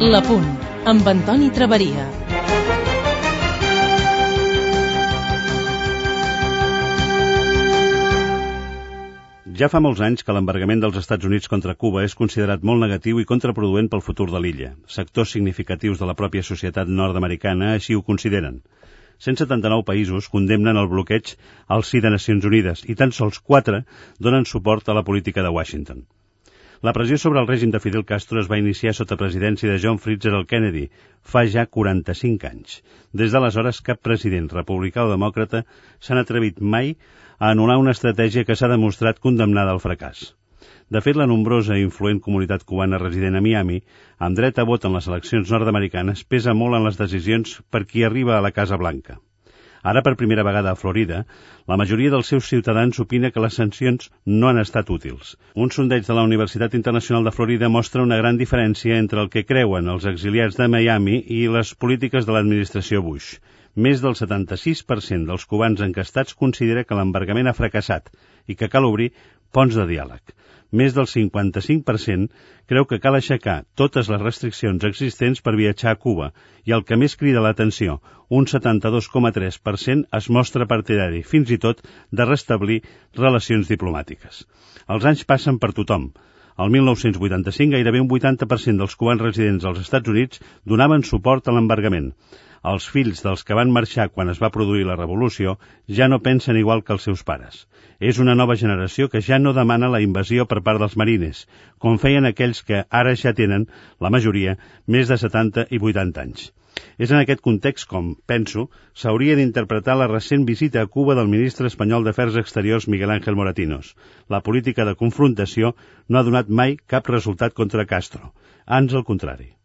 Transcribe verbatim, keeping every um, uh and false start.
L'Apunt, amb Antoni Traveria. Ja fa molts anys que l'embargament dels Estats Units contra Cuba és considerat molt negatiu i contraproduent pel futur de l'illa. Sectors significatius de la pròpia societat nord-americana així ho consideren. cent setanta-nou països condemnen el bloqueig al si de Nacions Unides i tan sols quatre donen suport a la política de Washington. La pressió sobre el règim de Fidel Castro es va iniciar sota presidència de John Fitzgerald Kennedy fa ja quaranta-cinc anys. Des d'aleshores, cap president republicà o demòcrata s'han atrevit mai a anul·lar una estratègia que s'ha demostrat condemnada al fracàs. De fet, la nombrosa i influent comunitat cubana resident a Miami, amb dret a vot en les eleccions nord-americanes, pesa molt en les decisions per qui arriba a la Casa Blanca. Ara, per primera vegada a Florida, la majoria dels seus ciutadans opina que les sancions no han estat útils. Un sondeig de la Universitat Internacional de Florida mostra una gran diferència entre el que creuen els exiliats de Miami i les polítiques de l'administració Bush. Més del setanta-sis per cent dels cubans enquestats considera que l'embargament ha fracassat i que cal obrir ponts de diàleg. Més del cinquanta-cinc per cent creu que cal aixecar totes les restriccions existents per viatjar a Cuba i el que més crida l'atenció, un setanta-dos coma tres per cent es mostra partidari, fins i tot, de restablir relacions diplomàtiques. Els anys passen per tothom. El mil nou-cents vuitanta-cinc gairebé un vuitanta per cent dels cubans residents als Estats Units donaven suport a l'embargament. Els fills dels que van marxar quan es va produir la revolució ja no pensen igual que els seus pares. És una nova generació que ja no demana la invasió per part dels marines, com feien aquells que ara ja tenen, la majoria, més de setanta i vuitanta anys. És en aquest context com, penso, s'hauria d'interpretar la recent visita a Cuba del ministre espanyol d'Afers Exteriors Miguel Ángel Moratinos. La política de confrontació no ha donat mai cap resultat contra Castro. Ans al contrari.